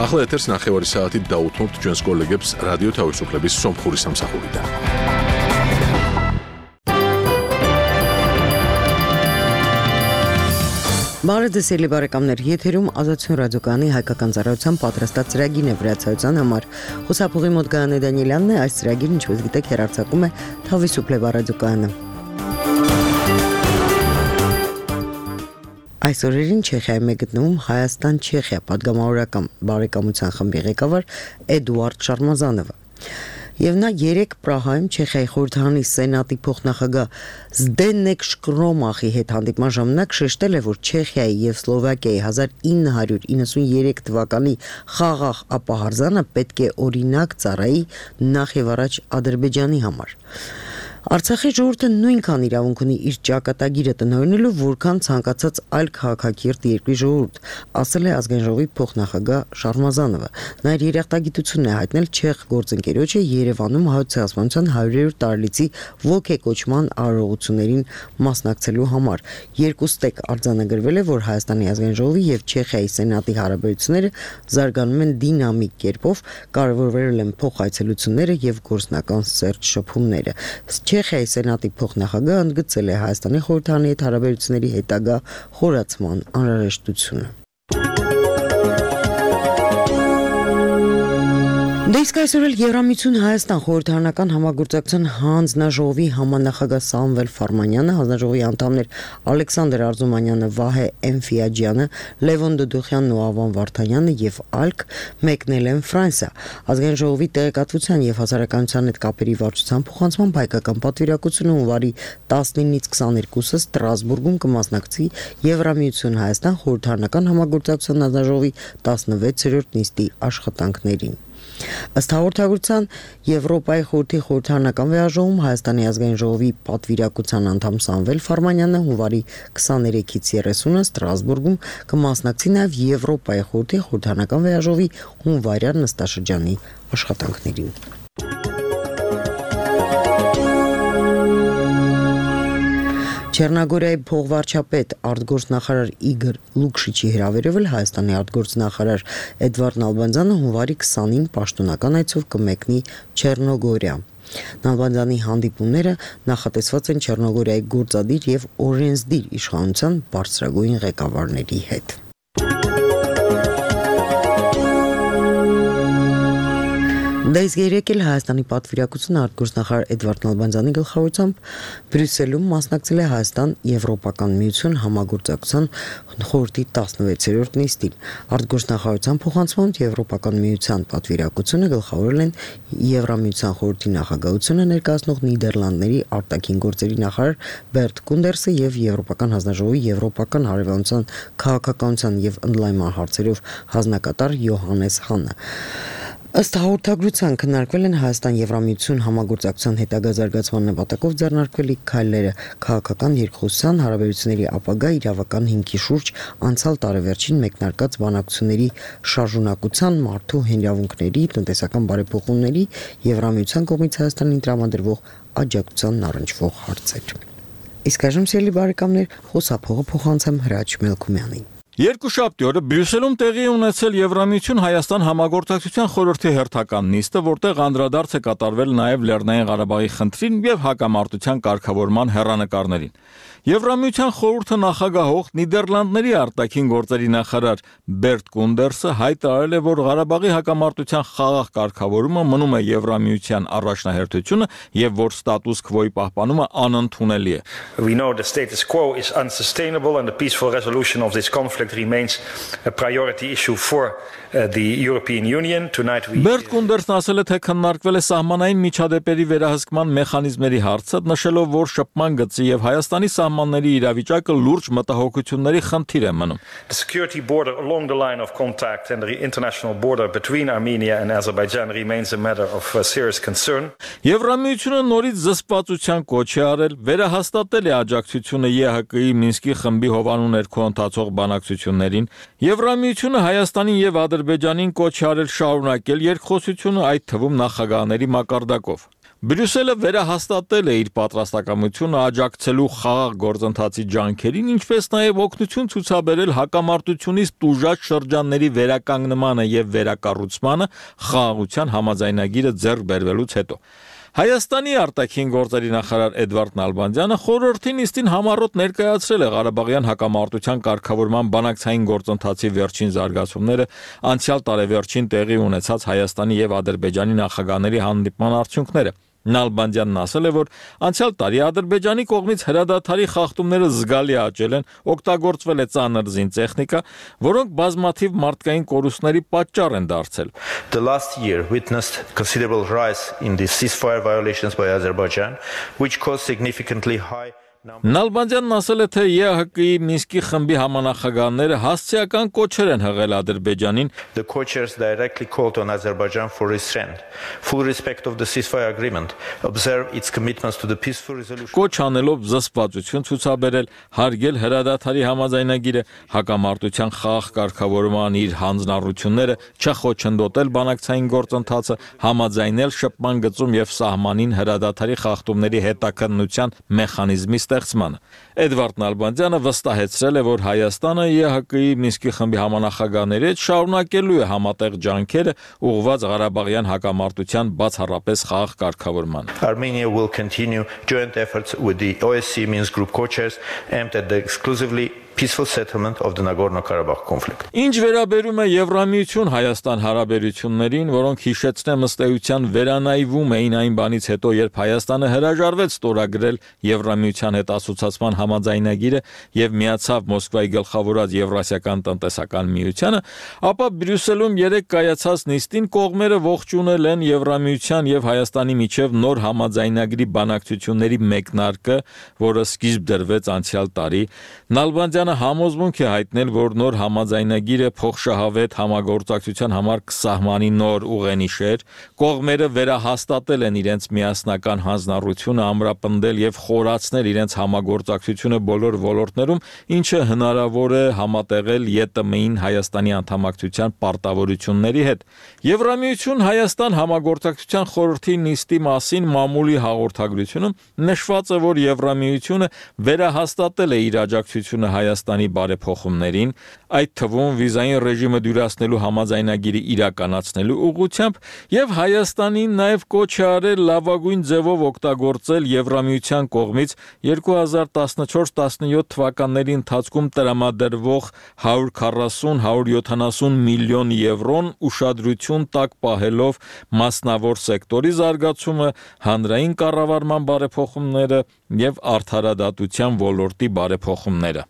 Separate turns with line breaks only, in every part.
ახლა ეთერს ნახევარი საათით დაუთმობთ ჩვენს კოლეგებს რადიო თავისუფლების სომხური სამსახურიდან.
Բարեձեւելի բարեկամներ, եթերում ազատություն ռադիոկայանի հայկական ծառայության պատրաստած ծրագիրն է վրացայության համար։ Խոսափողի մոտ Գայանե Դանիելյանն է, այս ծրագիրը, ինչպես գիտեք, հեռարձակում է Თავისუფლება ռադիոկայանը։ Այս օրերին Չեխիայում է գտնվում Հայաստան-Չեխիա պատգամավորական բարեկամության խմբի ղեկավար Էդուարդ Շարմազանովը։ Եվ նա 3 Պրահայում Չեխիայի խորհրդարանի սենատի փոխնախագահ Զդենեկ Շկրոմախի հետ հանդիպման ժամանակ շեշտել է, որ Չեխիայի եւ Սլովակիայի 1993 թվականի խաղաղ ապահարզանը պետք է օրինակ ծառայի նախ եւ առաջ Ադրբեջանի համար։ Արցախի ժողովուրդը նույնքան իրավունք ունի իր ճակատագիրը տնօրինելու, որքան ցանկացած այլ քաղաքակիրթ երկրի ժողովուրդ, ասել է ազգային ժողովի փոխնախագահ Շարմազանովը։ Նա իր երախտագիտությունն է հայտնել չեխ գործընկերոջը Երևանում Հայոց ցեղասպանության 100-րդ տարելիցի ոգեկոչման արարողություններին մասնակցելու համար։ Երկու ստեկ արձանագրվել է, որ Հայաստանի ազգային ժողովի եւ Չեխիայի սենատի հարաբերությունները զարգանում են դինամիկ կերպով, կարևորվել են փոխայցելությունները եւ գործնական սերտ շփումները։ Չեխիայի սենատի փոխնախագահը ընդգծել է Հայաստանի խորհրդարանի հետ հարաբերությունների հետագա խորացման անհրաժեշտությունը։ Իսկ այսօր էլ Եվրամիություն Հայաստան խորհրդարանական համագործակցության հանձնաժողովի համանախագահ Սամվել Ֆարմանյանը, հանձնաժողովի անդամներ Ալեքսանդր Արզումանյանը, Վահե Էնֆիաջյանը, Լևոն Դուդուխյանն ու Ավան Վարդանյանը եւ ԱԼԿ մեկնել են Ֆրանսիա։ Ազգային ժողովի տեղեկատվության եւ հասարակայնության հետ կապերի վարչության փոխանցման հայկական պատվիրակությունը հունվարի 19-ից 22-ը Ստրասբուրգում կմասնակցի Եվրամիություն Հայաստան խորհրդարանական համագործակցության հանձնաժողովի 16-րդ նիստի աշխատանքներին։ Ըստ հաղորդագրության Եվրոպայի խորհրդի խորհրդարանական վեաժողում Հայաստանի ազգային ժողովի պատվիրակության անդամ Սամվել Ֆարմանյանը հունվարի 23-ից 30-ը Ստրասբուրգում կմասնակցի նաև Եվրոպայի խորհրդի խորհրդարանական վեաժողովի հունվարյան նստաշրջանի աշխատանքներին։ Չեռնագորիայի փոխվարչապետ արտգործնախարար Իգոր Լուկշիչի հրավերով Հայաստանի արտգործնախարար Էդվարդ Նալբանդյանը հունվարի 20-ին պաշտոնական այցով կմեկնի Չեռնոգորիա։ Նալբանդյանի հանդիպումները նախատեսված են Չեռնոգորիայի գործադիր եւ օրենսդիր իշխանության բարձրագույն ղեկավարների հետ։ Դες երեք էլ Հայաստանի պատվիրակությունը արտգործնախարար Էդվարդ Նալբանդյանի գլխավորությամբ Բրյուսելում մասնակցել է Հայաստան-Եվրոպական միություն համագործակցության խորհրդի 16-րդ նիստին։ Արտգործնախարարության փոխանցմամբ Եվրոպական միության պատվիրակությունը գլխավորել են Եվրամիության խորհրդի նախագահությունը ներկայացնող Նիդերլանդների արտաքին գործերի նախարար Բերտ Կունդերսը եւ Եվրոպական հանձնաժողովի Եվրոպական հարևանության քաղաքականության եւ ընդլայնման հարցերով հանձնակատար Յոհանես Հանը։ Ըստ հաղորդագրության քննարկվել են Հայաստան-Եվրամիություն համագործակցության հետագա զարգացման նպատակով ձեռնարկվելիք քայլերը, քաղաքական երկխոսության հարաբերությունների ապագա իրավական հիմքի շուրջ անցյալ տարեվերջին մեկնարկած բանակցությունների շարժունակության, մարդու իրավունքների, տնտեսական բարեփոխումների, Եվրամիության կողմից Հայաստանին տրամադրվող աջակցությանն առնչվող հարցեր։ Իսկ այժմ սիրելի բարեկամներ, խոսափողը փոխանցեմ Հրաչ Մելքումյանին։
Երկուշաբթի օրը Բրյուսելում տեղի ունեցել Եվրամիություն Հայաստան համագործակցության խորհրդի հերթական նիստը, որտեղ անդրադարձ է կատարվել նաև Լեռնային Ղարաբաղի խնդրին եւ հակամարտության կարգավորման հեռանկարներին։ Եվրամիության խորհուրդը նախագահող Նիդերլանդների արտաքին գործերի նախարար Բերտ Կունդերսը հայտարարել է, որ Ղարաբաղի հակամարտության խաղաղ կարգավորումը մնում է Եվրամիության առաջնահերթությունը եւ որ ստատուս քվոյի պահպանումը անընդունելի է։
We know the status quo is unsustainable and the peaceful resolution of this conflict remains a priority issue for the European Union. Tonight we
Բերտ Կունդերսն ասել է, թե քննարկվել է սահմանային միջադեպերի վերահսկման մեխանիզմների հարցը, նշելով, որ շփման գծի եւ Հայաստանի սահմանների իրավիճակը լուրջ մտահոգությունների խնդիր է մնում։
The security border along the line of contact and the international border between Armenia and Azerbaijan remains a matter of serious concern.
Եվրամիությունը նորից զսպվածության կոչ է արել, վերահաստատել է աջակցությունը ԵՀԿ-ի Մինսկի խմբի հովանու ներքո ընթացող բանակցություններին։ Եվրամիությունը Հայաստանին եւ Ադրբեջանին կոչ է արել շարունակել երկխոսությունը, այդ թվում նախագահների մակարդակով։ Բրյուսելը վերահաստատել է իր պատրաստակամությունը աջակցելու խաղաղ գործընթացի ջանքերին, ինչպես նաև օգնություն ցուցաբերել հակամարտությունից տուժած շրջանների վերականգնմանը եւ վերակառուցմանը խաղաղության համաձայնագիրը ձեռք բերվելուց հետո։ Հայաստանի արտաքին գործերի նախարար Էդվարդ Նալբանդյանը խորհրդի նիստին համառոտ ներկայացրել է Ղարաբաղյան հակամարտության կարգավորման բանակցային գործընթացի վերջին զարգացումները, անցյալ տարեվերջին տեղի ունեցած Հայաստանի եւ Ադրբեջանի նախագահների հանդիպման արդյունքները։ Նալբանդյանն ասել է, որ անցյալ տարի Ադրբեջանի կողմից հրադադարի խախտումները զգալի աճել են, օգտագործվել է ծանր զինտեխնիկա, որոնք բազմաթիվ մարդկային կորուստների պատճառ են դարձել։
The last year witnessed considerable rise in the ceasefire violations by Azerbaijan, which caused significantly high
Նալբանդյանն ասել է, թե ԵԱՀԿ-ի Մինսկի խմբի համանախագահները հասցեական կոչեր են հղել Ադրբեջանին։
The co-chairs directly called on Azerbaijan for restraint, full respect of the ceasefire agreement, observe its commitments to the peaceful resolution.
Կոչ անելով զսպվածություն ցուցաբերել, հարգել հրադադարի համաձայնագիրը, հակամարտության խաղաղ կարգավորման իր հանձնառությունները, չխոչընդոտել բանակցային գործընթացը, համաձայնել շփման գծում եւ սահմանին հրադադարի խախտումների հետաքննության մեխանիզմի ստեղծմանը։ Էդվարդ Նալբանդյանը վստահեցրել է, որ Հայաստանը ԵԱՀԿ-ի Մինսկի խմբի համանախագահների հետ շարունակելու է համատեղ ջանքերը ուղղված Ղարաբաղյան հակամարտության բացառապես խաղաղ կարգավորմանը։
Armenia will continue joint efforts with the OSCE Minsk Group co-chairs aimed at the exclusively peaceful settlement of the Nagorno-Karabakh conflict.
Ինչ վերաբերում է Եվրամիություն Հայաստան հարաբերություններին, որոնք հիշեցնեմ ըստ էության վերանայվում էին այն բանից հետո, երբ Հայաստանը հրաժարվեց ստորագրել Եվրամիության հետ ասոցիացման համաձայնագիրը եւ միացավ Մոսկվայի գլխավորած Եվրասիական տնտեսական միությանը, ապա Բրյուսելում երեք կայացած նիստին կողմերը ողջունել են Եվրամիության եւ Հայաստանի միջև նոր համաձայնագրի բանակցությունների մեկնարկը, որը սկիզբ դրվեց անցյալ տարի։ Նալբանդյանը համոզմունք է հայտնել, որ նոր համաձայնագիրը փոխշահավետ համագործակցության համար կսահմանի նոր ուղենիշեր, կողմերը վերահաստատել են իրենց միասնական հանձնառությունը ամրապնդել եւ խորացնել իրենց համագործակցությունը բոլոր ոլորտներում, ինչը հնարավոր է համատեղել ԵՏՄ-ին Հայաստանի անդամակցության պարտավորությունների հետ։ Եվրամիություն Հայաստան համագործակցության խորհրդի նիստի մասին մամուլի հաղորդագրությունում նշված է, որ Եվրամիությունը վերահաստատել է իր աջակցությունը Հայաստանի բարեփոխումներին, այդ թվում վիզային ռեժիմը դյուրացնելու համաձայնագիրը իրականացնելու ուղղությամբ եւ Հայաստանին նաեւ կոչ է արել լավագույն ձևով օգտագործել Եվրամիության կողմից 2014-17 թվականների ընթացքում տրամադրվող 140-170 միլիոն եվրոն ուշադրություն տակ պահելով մասնավոր սեկտորի զարգացումը, հանրային կառավարման բարեփոխումները եւ արդարադատության ոլորտի բարեփոխումները։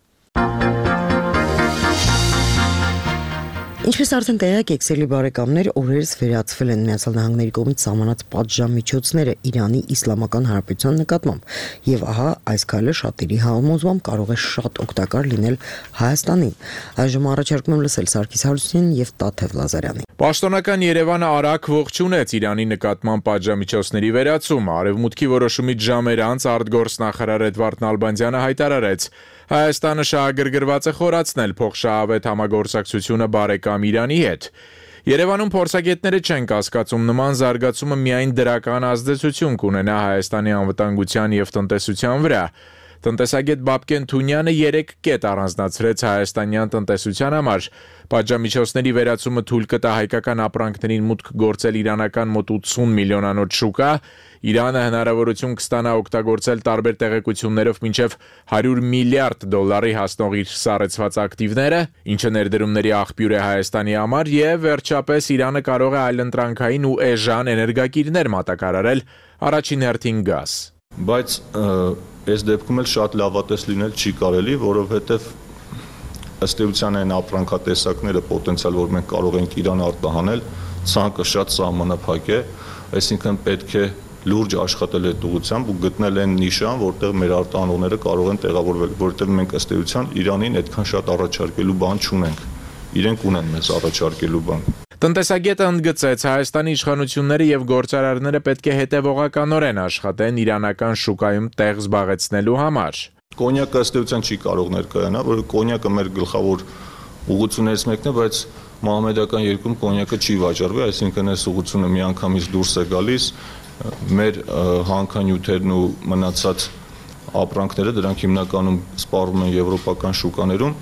Ինչպես արդեն տեղյակ եք, սիրելի բարեկամներ, օրերս վերացվել են Միացյալ Նահանգների կողմից սահմանած պատժամիջոցները Իրանի Իսլամական Հանրապետության նկատմամբ, եւ ահա այս քայլը շատերի համոզմամբ կարող է շատ օգտակար լինել Հայաստանին։ Այժմ առաջարկում եմ լսել Սարգիս Հարությունյանին եւ Տաթև Լազարյանին։
Պաշտոնական Երևանը արագ ողջունեց Իրանի նկատմամբ պատժամիջոցների վերացումը։ Արևմուտքի որոշումից ժամեր անց արտգործնախարար Էդվարդ Նալբանդյանը հայտարարեց. Հայաստանը շահագրգռված է խորացնել փոխշահավետ համագործակցությունը բարեկամ Իրանի հետ։ Երևանում փորձագետները չեն կասկածում նման զարգացումը միայն դրական ազդեցություն կունենա Հայաստանի անվտանգության եւ տնտեսության վրա։ Տնտեսագետ Բաբկեն Թունյանը 3 կետ առանձնացրեց հայաստանյան տնտեսության համար։ Պատժամիջոցների վերացումը թույլ կտա հայկական ապրանքներին մուտք գործել իրանական մոտ 80 միլիոնանոց շուկա, Իրանը հնարավորություն կստանա օգտագործել տարբեր տեղեկություններով մինչև $100 միլիարդ հասնող իր սառեցված ակտիվները, ինչը ներդրումների աղբյուր է Հայաստանի համար, եւ վերջապես Իրանը կարող է այլընտրանքային ու էժան էներգակիրներ մատակարարել, առաջին հերթին գազ։
Բայց այս դեպքում էլ շատ լավատես լինել չի կարելի, որովհետև ըստ էության այն ապրանքատեսակները պոտենցիալ, որ մենք կարող ենք Իրան արտահանել, ցանկը շատ սահմանափակ է, այսինքն պետք է լուրջ աշխատել այդ ուղղությամբ ու գտնել այն նիշան, որտեղ մեր արտահանողները կարող են տեղավորվել, որովհետև մենք ըստ էության Իրանին այդքան շատ առաջարկելու բան չունենք։ Իրենք ունեն մեզ առաջարկելու բան։
Տնտեսագետը ընդգծեց, Հայաստանի իշխանությունները եւ գործարարները պետք է հետեւողականորեն աշխատեն իրանական շուկայում տեղ զբաղեցնելու համար։
Կոնյակը ըստ էության չի կարող ներկայանալ, որ կոնյակը մեր գլխավոր ուղղություններից մեկն է, բայց մահմեդական երկրում կոնյակը չի վաճառվի, այսինքն այս ուղղությունը միանգամից դուրս է գալիս մեր հանքանյութերն ու մնացած ապրանքները դրանք հիմնականում սպառվում են եվրոպական շուկաներում,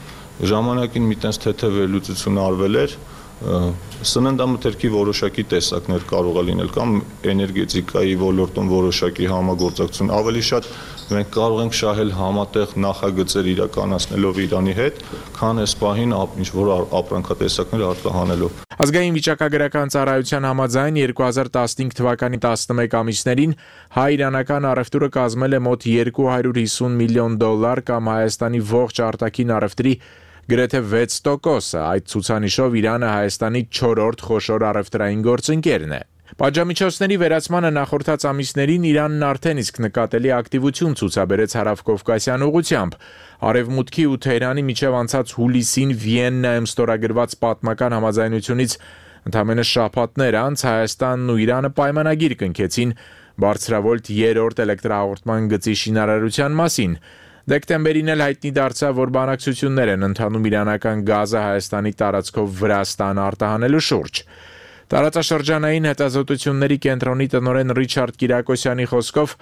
ժամանակին մի տես թեթև վերլուծություն արվել էր, սննդամթերքի որոշակի տեսակներ կարող է լինել կամ էներգետիկայի ոլորտում որոշակի համագործակցություն, ավելի շատ մենք կարող ենք շահել համատեղ նախագծեր իրականացնելով Իրանի հետ, քան այս պահին ինչ որ ապրանքատեսակներ արտահանելով։
Ազգային վիճակագրական ծառայության համաձայն 2015 թվականի 11 ամիսներին հայ-իրանական առևտուրը կազմել է մոտ $250 միլիոն կամ Հայաստանի ողջ արտաքին առևտրի գրեթե 6%, այդ ցուցանիշով Իրանը Հայաստանի 4-րդ խոշոր առևտրային գործընկերն է։ Պատժամիջոցների վերացմանը նախորդած ամիսներին Իրանն արդեն իսկ նկատելի ակտիվություն ցուցաբերեց հարավկովկասյան ուղղությամբ։ Արևմուտքի ու Թեհրանի միջև անցած հուլիսին Վիեննայում ստորագրված պատմական համաձայնությունից ընդամենը շաբաթներ անց Հայաստանն ու Իրանը պայմանագիր կնքեցին բարձրավոլտ 3-րդ էլեկտրահաղորդման գծի շինարարության մասին։ Դեկտեմբերին էլ հայտնի դարձավ, որ բանակցություններ են ընթանում իրանական գազը Հայաստանի տարածքով Վրաստան արտահանելու շուրջ։ Տարածաշրջանային հետազոտությունների կենտրոնի տնօրեն Ռիչարդ Կիրակոսյանի խոսքով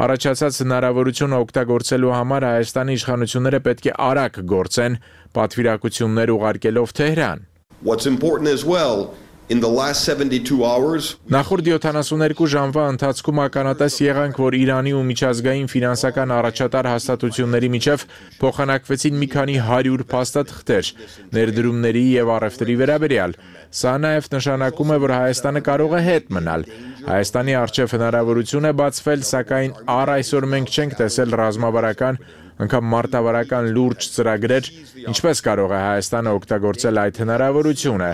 առաջացած հնարավորությունը օգտագործելու համար Հայաստանի իշխանությունները պետք է արագ գործեն, պատվիրակություններ ուղարկելով Թեհրան։
What's important as well in the last 72 hours
Նախորդ 72 ժամվա ընթացքում ականատես եղանք, որ Իրանի ու միջազգային ֆինանսական առաջատար հաստատությունների միջև փոխանակվեցին մի քանի 100 փաստաթղթեր ներդրումների եւ առևտրի վերաբերյալ։ Սա նաեւ նշանակում է, որ Հայաստանը կարող է հետ մնալ։ Հայաստանի առջև հնարավորություն է բացվել, սակայն առ այսօր մենք չենք տեսել ռազմավարական անգամ մարտավարական լուրջ ծրագրեր, ինչպես կարող է Հայաստանը օգտագործել այդ հնարավորությունը։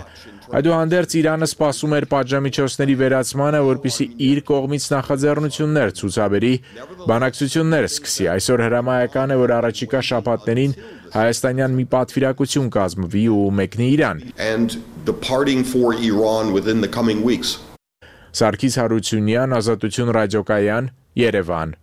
Այդուհանդերձ Իրանը սպասում էր պատժամիջոցների վերացմանը, որպեսզի իր կողմից նախաձեռնություններ ցուցաբերի, բանակցություններ սկսի։ Այսօր հրամայական է, որ առաջիկա շաբաթներին հայաստանյան մի պատվիրակություն կազմվի ու մեկնի Իրան։
and departing for Iran within the coming weeks.
Սարգիս Հարությունյան, Ազատություն ռադիոկայան, Երևան։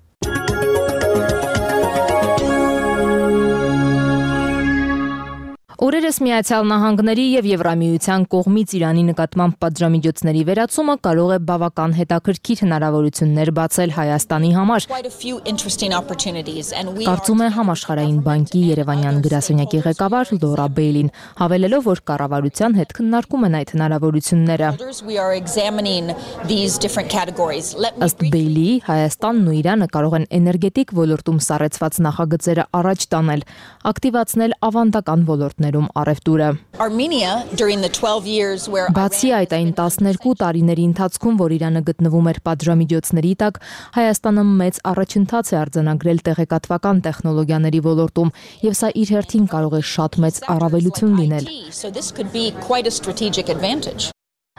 Օրերս Միացյալ Նահանգների եւ Եվրամիության կողմից Իրանի նկատմամբ պատժամիջոցների վերացումը կարող է բավական հետաքրքիր հնարավորություններ բացել Հայաստանի համար։ Կարծում է Համաշխարհային բանկի Երևանյան գրասենյակի ղեկավար Լորա Բեյլին, հավելելով, որ կառավարության հետ քննարկում են այդ հնարավորությունները։ Ըստ Բեյլիի, Հայաստանն ու Իրանը կարող են էներգետիկ ոլորտում սառեցված նախագծերը առաջ տանել, ակտիվացնել ավանդական ոլորտներ առևտուրը։ Բացի այդ, այն 12 տարիների ընթացքում, որ Իրանը գտնվում էր պատժամիջոցների տակ, Հայաստանը մեծ առաջընթաց է արձանագրել տեղեկատվական տեխնոլոգիաների ոլորտում, եւ սա իր հերթին կարող է շատ մեծ առավելություն լինել։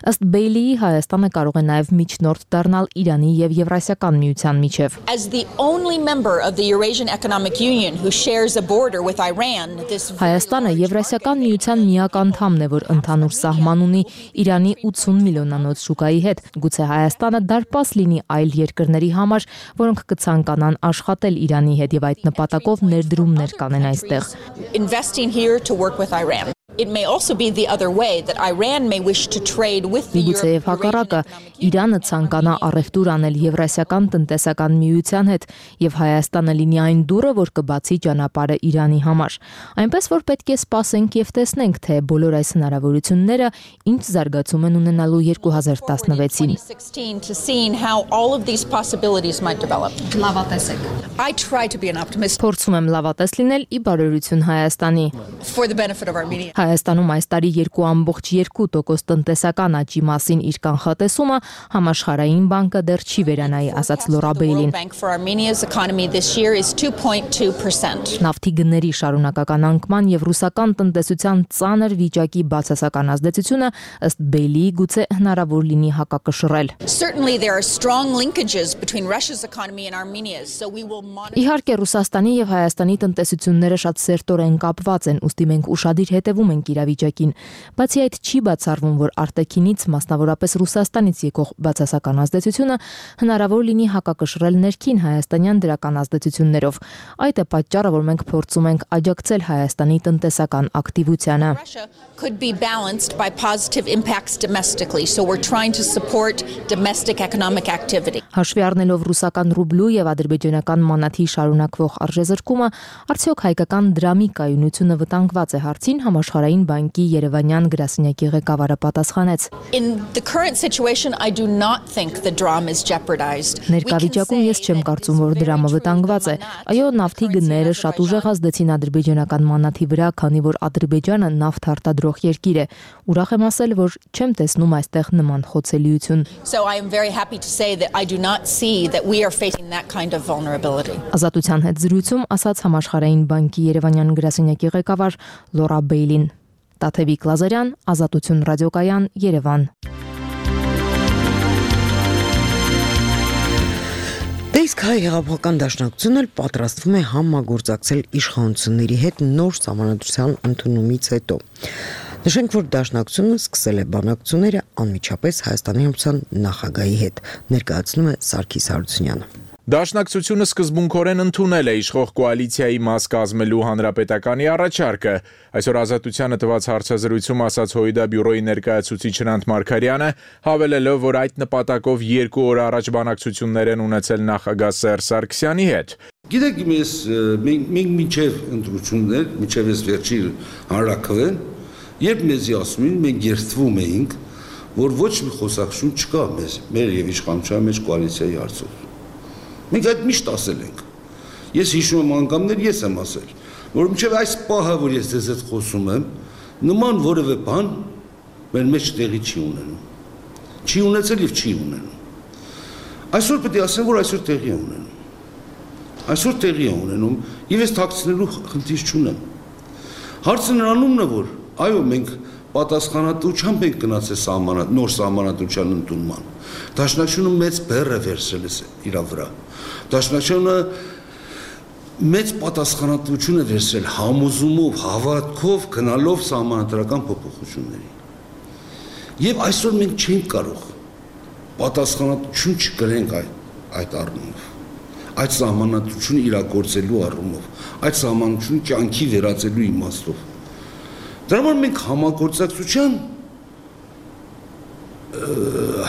Ըստ Բեյլիի, Հայաստանը կարող է նաև միջնորդ դառնալ Իրանի եւ Եվրասիական միության միջև։ Հայաստանը Եվրասիական միության միակ անդամն է, որ ընդհանուր սահման ունի Իրանի 80 միլիոնանոց շուկայի հետ։ Գուցե Հայաստանը դարպաս լինի այլ երկրների համար, որոնք կցանկանան աշխատել Իրանի հետ եւ այդ նպատակով ներդրումներ կանեն այստեղ։ It may also be the other way that Iran may wish to trade with the European Union. Իրանը ցանկանա առևտուր անել Եվրասիական տնտեսական միության հետ եւ Հայաստանը լինի այն դուռը, որ կբացի ճանապարհը Իրանի համար։ Այնպես որ պետք է սպասենք եւ տեսնենք, թե բոլոր այս հնարավորությունները ինչ զարգացում են ունենալու 2016-ին։ I try to be an optimist. Փորձում եմ լավատես լինել ի բարօրություն Հայաստանի։ For the benefit of Armenia. Հայաստանում այս տարի 2.2% տնտեսական աճի մասին իր կանխատեսումը Համաշխարհային բանկը դեռ չի վերանայի, ասաց Լորա Բեյլին։ Նավթի գների շարունակական անկման եւ ռուսական տնտեսության ծանր վիճակի բացասական ազդեցությունը ըստ Բեյլիի գուցե հնարավոր լինի հակակշռել։ Իհարկե Ռուսաստանի եւ Հայաստանի տնտեսությունները շատ սերտորեն կապված են, ուստի մենք ուշադիր հետևում ենք բանկի իրավիճակին։ Բացի այդ, չի բացառվում, որ արտաքինից, մասնավորապես Ռուսաստանից եկող բացասական ազդեցությունը հնարավոր լինի հակակշռել ներքին հայաստանյան դրական ազդեցություններով։ Այդ է պատճառը, որ մենք փորձում ենք աջակցել Հայաստանի տնտեսական ակտիվությանը։
Could be balanced by positive impacts domestically, so we're trying to support domestic economic activity.
Հաշվի առնելով ռուսական ռուբլու եւ ադրբեջանական մանաթի շարունակվող արժեզրկումը, արդյոք հայկական դրամի կայունությունը վտանգված է հարցին համաշխարհային բանկի Երևանյան գրասենյակի ղեկավարը պատասխանեց.
In the current situation, I do not think the dram is jeopardized.
Ներկայացում ես չեմ կարծում, որ դրամը վտանգված է։ Այո, նավթի գները շատ ուժեղ ազդեցին ադրբեջանական մանաթի վրա, քանի որ Ադրբեջանը նավթ արտադրող երկիր է։ Ուրախ եմ ասել, որ չեմ տեսնում այստեղ նման խոցելիություն։
So I am very happy to say that I do not see that we are facing that kind of vulnerability.
Ազատության հետ զրույցում ասաց համաշխարհային բանկի Երևանյան գրասենյակի ղեկավար Լորա Բեյլին։ Տաթևիկ Լազարյան, Ազատություն ռադիոկայան, Երևան։
Իսկ հայ հեղափոխական դաշնակցությունն էլ պատրաստվում է համագործակցել իշխանությունների հետ նոր սահմանադրության ընդունումից հետո։ Նշենք, որ դաշնակցությունը սկսել է բանակցությունները անմիջապես Հայաստանի Հանրապետության նախագահի հետ, ներկայացնում է Սարգիս Հարությունյանը։
Դաշնակցությունը սկզբունքորեն ընդունել է իշխող կոալիցիայի մաս կազմելու հանրապետականի առաջարկը։ Այսօր Ազատությանը տված հարցազրույցում ասաց ՀՅԴ բյուրոյի ներկայացուցիչ Հրանտ Մարգարյանը, հավելելով, որ այդ նպատակով 2 օր առաջ բանակցություններ են ունեցել նախագահ Սերժ Սարգսյանի հետ։
Գիտեք, մենք մինչև ընտրություններ, մինչև այս վերջի հանրաքվեն, երբ մեզի ասում են, մենք երդվում էինք, որ ոչ մի խոսակցություն չկա մեր եւ իշխանության մեջ կոալիցիայի հարցով։ Մենք այդ միշտ ասել ենք։ Ես հիշում եմ անգամներ, ես եմ ասել, որ մինչև այս պահը, որ ես ձեզ հետ խոսում եմ, նման որևէ բան մեր մեջ տեղի չի ունենում։ Չի ունեցել եւ չի ունենում։ Այսօր պետք է ասեմ, որ այսօր տեղի է ունենում։ Այսօր տեղի է ունենում եւ ես թաքցնելու խնդիր չունեմ։ Հարցը նրանումն է, որ այո, մենք պատասխանատվությամբ ենք գնացել նոր սահմանադրության ընդունման։ Դաշնակցությունը մեծ բեռ է վերցրել իր վրա։ Դաշնակցությունը մեծ պատասխանատվություն է վերցրել համոզումով, հավատքով գնալով սահմանադրական փոփոխությունների։ Եվ այսօր մենք չենք կարող պատասխանատվություն չկրենք այդ առումով։ Այդ սահմանադրությունը իրագործելու առումով, այդ սահմանադրությունը կյանքի վերածելու իմաստով։ Դրա համար մենք համագործակցության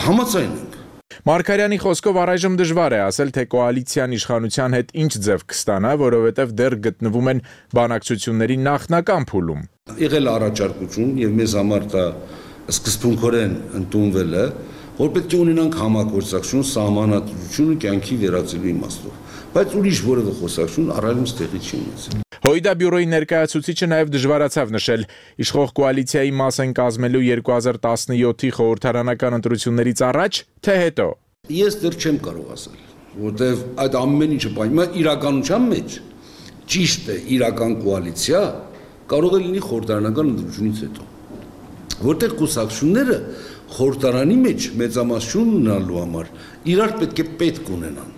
համաձայն ենք։
Մարգարյանի խոսքով առայժմ դժվար է ասել, թե կոալիցիան իշխանության հետ ինչ ձև կստանա, որովհետև դեռ գտնվում են բանակցությունների նախնական փուլում։
Եղել առաջարկություն եւ մեզ համար դա սկզբունքորեն ընդունվել է, որ պետք է ունենանք համագործակցություն սահմանադրությունը կյանքի վերածելու իմաստով, բայց ուրիշ որևէ խոսակցություն առայժմ տեղի չի ունեցել։
ՀՅԴ բյուրոյի ներկայացուցիչը նաև դժվարացավ նշել իշխող կոալիցիայի մաս են կազմելու 2017-ի խորհրդարանական ընտրություններից առաջ, թե հետո։
Ես դեռ չեմ կարող ասել, որտեղ այդ ամեն ինչը պայման իրականության մեջ ճիշտ է իրական կոալիցիա կարող է լինի խորհրդարանական ընտրությունից հետո, որտեղ կուսակցությունները խորհրդարանի մեջ մեծամասնություն ունենալու համար իրար պետք ունենան։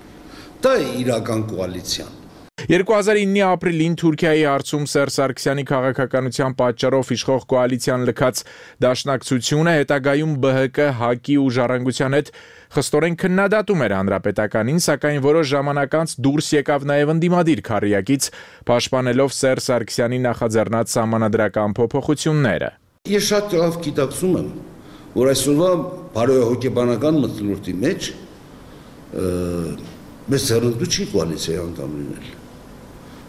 Դա է իրական կոալիցիան։
2009-ի ապրիլին Թուրքիայի հարցում Սերժ Սարգսյանի քաղաքականության պատճառով իշխող կոալիցիան լքած դաշնակցությունը հետագայում ԲՀԿ, ՀԱԿ-ի ու Ժառանգության հետ խստորեն քննադատում էր հանրապետականին, սակայն որոշ ժամանակ անց դուրս եկավ նաև ընդդիմադիր քառյակից, պաշտպանելով Սերժ Սարգսյանի նախաձեռնած սահմանադրական փոփոխությունները։
Ես շատ լավ գիտակցում եմ, որ այսօրվա բարոյահոգեբանական մթնոլորտի մեջ մեզ ձեռնտու չի կոալիցիայի անդամ լինել,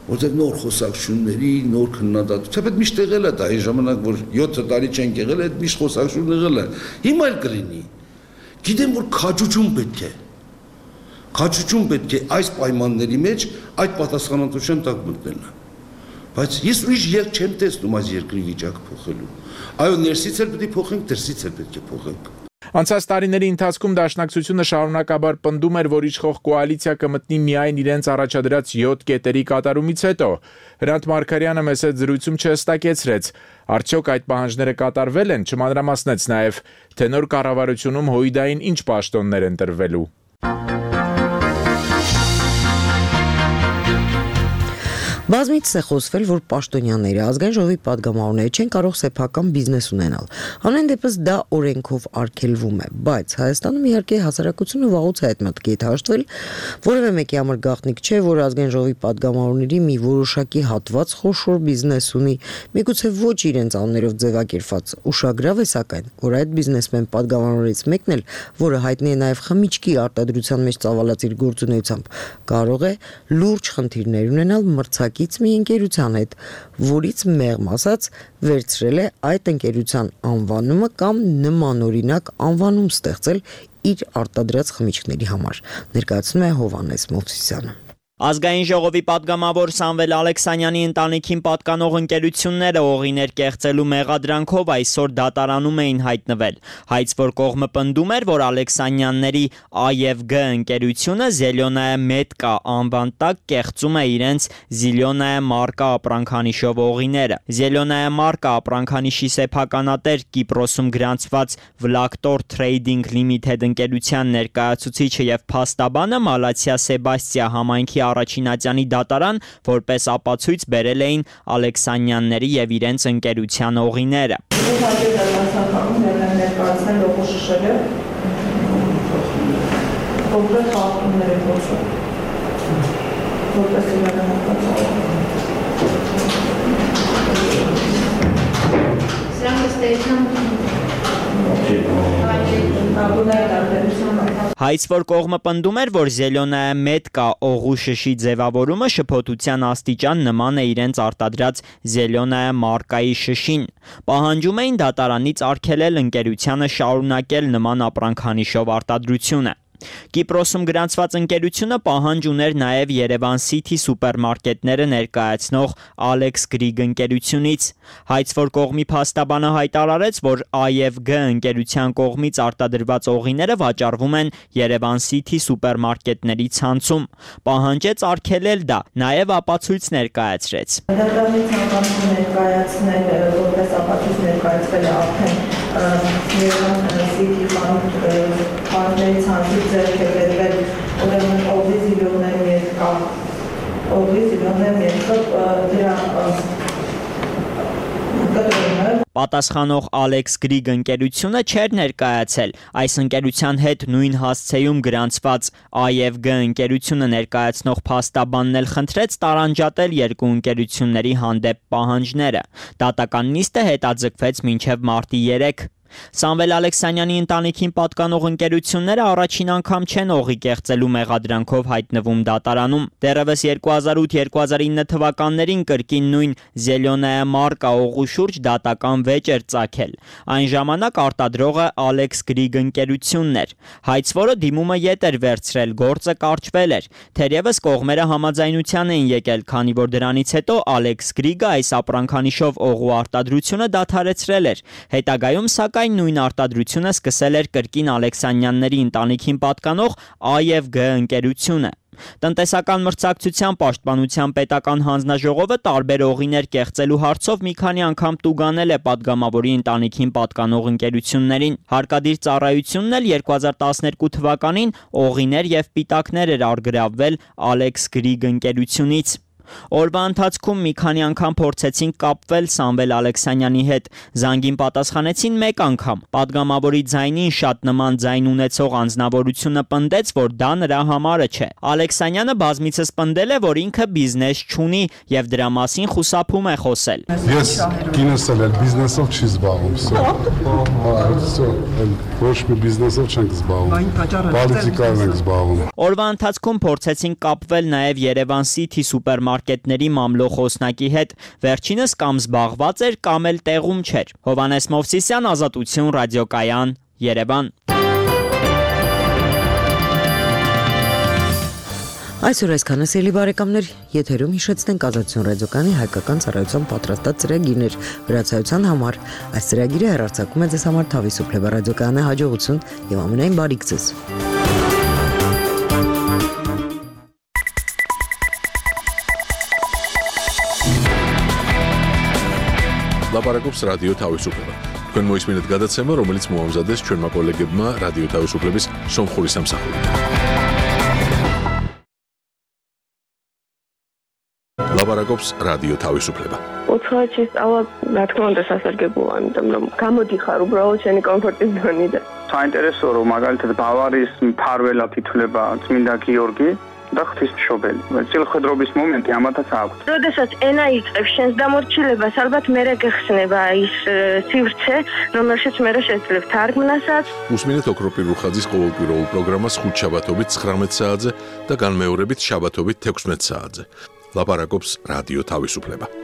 որտեղ նոր խոսակցությունների, նոր քննադատություն, թեպետ միշտ եղել է դա, այն ժամանակ, որ 7 տարի չենք եղել, այդ միշտ խոսակցություն եղել է, հիմա էլ կլինի, գիտեմ, որ քաջություն պետք է այս պայմանների մեջ այդ պատասխանատվության տակ մտնելն է, բայց ես ուրիշ ելք չեմ տեսնում այս երկրի վիճակը փոխելու, այո, ներսից էլ պետք է փոխենք, դրսից էլ պետք է փոխենք։
Անցած տարիների ընթացքում դաշնակցությունը շարունակաբար պնդում էր, որ իշխող կոալիցիա կմտնի միայն իրենց առաջադրած 7 կետերի կատարումից հետո։ Հրանտ Մարգարյանը մեծ զրույցում չհստակեցրեց, արդյոք այդ պահանջները կատարվել են, չմանրամասնեց նաև, թե նոր կառավարությունում ՀՅԴ-ին ինչ պաշտոններ են տրվելու։
Բազմից է խոսվել, որ պաշտոնյաները ազգային ժողովի падգամավորները չեն կարող սեփական բիզնես ունենալ։ Հանեն դեպս դա օրենքով արգելվում է, բայց Հայաստանում իհարկե հասարակությունը վաղուց է այդ մտքի հետ հաշտվել, որևէ մեկի համար գաղտնիք չէ, որ ազգային ժողովի падգամավորների մի որոշակի հատված խոշոր բիզնես ունի, միգուցե ոչ իրենց անուններով ձևակերպված։ Ուշագրավ է սակայն, որ այդ բիզնեսմեն падգամավորներից մեկն էլ, որը հայտնի է նաև խմիչքի արտադրության մեջ ծավալած իր գործունեությամբ, կարող է լուրջ խնդիրներ ունենալ մրցակից մի ընկերության հետ, որից մեղմ ասած վերցրել է այդ ընկերության անվանումը կամ նմանօրինակ անվանում ստեղծել իր արտադրած խմիչքների համար, ներկայացնում է Հովհաննես Մովսիսյանը։
Ազգային ժողովի падգամավոր Սամվել Ալեքսանյանի ընտանիքին պատկանող ընկերությունները օղիներ կեղծելու մեղադրանքով այսօր դատարանում էին հայտնվել։ Հայց որ կողմը պնդում էր, որ Ալեքսանյանների A և G ընկերությունը Զելյոնայա Մեդկա անվան տակ կեղծում է իրենց Զիլյոնայա մարկա ապրանքանիշով օղիները։ Զելյոնայա մարկա ապրանքանիշի սեփականատեր Կիպրոսում գրանցված Vlaktor Trading Limited ընկերության ներկայացուցիչը եւ փաստաբանը Մալացիա Սեբաստիա համայնքի առաջին ատյանի դատարան որպես ապացույց բերել էին Ալեքսանյանների եւ իրենց ընկերության օղիները։ Հայց որ կողմը պնդում էր, որ Զելյոնայա Մեդկա օղու շշի ձևավորումը շփոթության աստիճան նման է իրենց արտադրած Զելյոնայա մարկայի շշին։ Պահանջում էին դատարանից արգելել ընկերությանը շարունակել նման ապրանքանիշով արտադրությունը։ Կիպրոսում գրանցված ընկերությունը պահանջ ուներ նաև Երևան City սուպերմարկետները ներկայացնող Alex Greig ընկերությունից։ Հայց որ կողմի փաստաբանը հայտարարեց, որ A և G ընկերության կողմից արտադրված օղիները վաճառվում են Երևան City սուպերմարկետների ցանցում։ Պահանջեց արգելել դա, նաև ապացույց ներկայացրեց։
Դատարանի ցանկանում ներկայացնել, որպես ապացույց ներկայացվել է արդեն Երևան City խանութների ցանցից ձեռք է բերվել ուրեմն օղի Զիլյոնայա Մեդկա դրա
Պատասխանող Alex Greig ընկերությունը չէր ներկայացել։ Այս ընկերության հետ նույն հասցեում գրանցված A և G ընկերությունը ներկայացնող փաստաբանն էլ խնդրեց տարանջատել երկու ընկերությունների հանդեպ պահանջները։ Դատական նիստը հետաձգվեց մինչև մարտի 3։ Սամվել Ալեքսանյանի ընտանիքին պատկանող ընկերությունները առաջին անգամ չեն օղի կեղծելու մեղադրանքով հայտնվում դատարանում։ Դեռևս 2008-2009 թվականներին կրկին նույն Զելյոնայա մարկա օղու շուրջ դատական վեճ էր ծագել։ Այն ժամանակ արտադրողը Alex Greig ընկերությունն էր։ Հայց որը դիմումը ետ էր վերցրել, գործը կարճվել էր։ Թերևս կողմերը համաձայնության էին եկել, քանի որ դրանից հետո Alex Greig-ը այս ապրանքանիշով օղու արտադրությունը դադարեցրել էր։ Հետագայում սակայն նույն արտադրությունը սկսել էր կրկին Ալեքսանյանների ընտանիքին պատկանող A և G ընկերությունը։ Տնտեսական մրցակցության պաշտպանության պետական հանձնաժողովը տարբեր օղիներ կեղծելու հարցով մի քանի անգամ տուգանել է падգամավորի ընտանիքին պատկանող ընկերություններին։ Հարկադիր ծառայությունն էլ 2012 թվականին օղիներ եւ պիտակներ էր արգրավվել Alex Greig ընկերությունից։ Օրվա ընթացքում մի քանի անգամ փորձեցին կապվել Սամվել Ալեքսանյանի հետ, զանգին պատասխանեցին մեկ անգամ։ Պատգամավորի ձայնին շատ նման ձայն ունեցող անձնավորությունը պնդեց, որ դա նրա համարը չէ։ Ալեքսանյանը բազմիցս պնդել է, որ ինքը բիզնես չունի եւ դրա մասին խուսափում է խոսել։
Ես կինս էլ բիզնեսով չի զբաղվում, ոչ մի բիզնեսով չենք զբաղվում, պոլիտիկայով ենք զբաղվում։
Օրվա ընթացքում փորձեցին կապվել նաեւ Երևան City սուպերմարկետների մամլո խոսնակի հետ, վերջինս կամ զբաղված էր, կամ էլ տեղում չէր։ Հովհաննես Մովսիսյան, Ազատություն, ռադիոկայան, Երևան։
Այսօր այսքանը սիրելի բարեկամներ, եթերում հիշեցնենք Ազատություն ռադիոկայանի հայկական ծառայության պատրաստած ծրագիրներ վրացայության համար։ Այս ծրագիրը հեռարձակում է ձեզ համար Թավիսուփ Լեվա ռադիոկայանի հաջողություն եւ ամենայն բարիք ձեզ։
Լապարակոպս ռադիո Թավիսուփ Քան մոյս մինուտ գադացեմը, რომელიც մոհամզադես չորմա կոլեգեբմա ռադիո Թավիսուփլեբիս Սոմխուրի Սամսախուրի։ ლაპარაკობს რადიო თავისუფლება.
უცხოეთში სწავლა, რა თქმა უნდა, სასარგებლოა, იმიტომ რომ გამოდიხარ უბრალოდ შენი კომფორტის ზონიდან.
საინტერესოა, რომ მაგალითად ბავარიის მფარველად ითვლება წმინდა გიორგი და ღვთისმშობელი. წილხედრობის მომენტი ამათაც აქვს.
როდესაც ენა იწყებს შენს დამორჩილებას, ალბათ მერე გეხსნება ის სივრცე, რომელშიც მერე შეძლებ თარგმნასაც.
უსმინეთ ოქროპირ რუხაძის ყოველკვირეულ პროგრამას ხუთშაბათობით 19 საათზე და განმეორებით შაბათობით 16 საათზე. ლაპარაკობს რადიო თავისუფლება.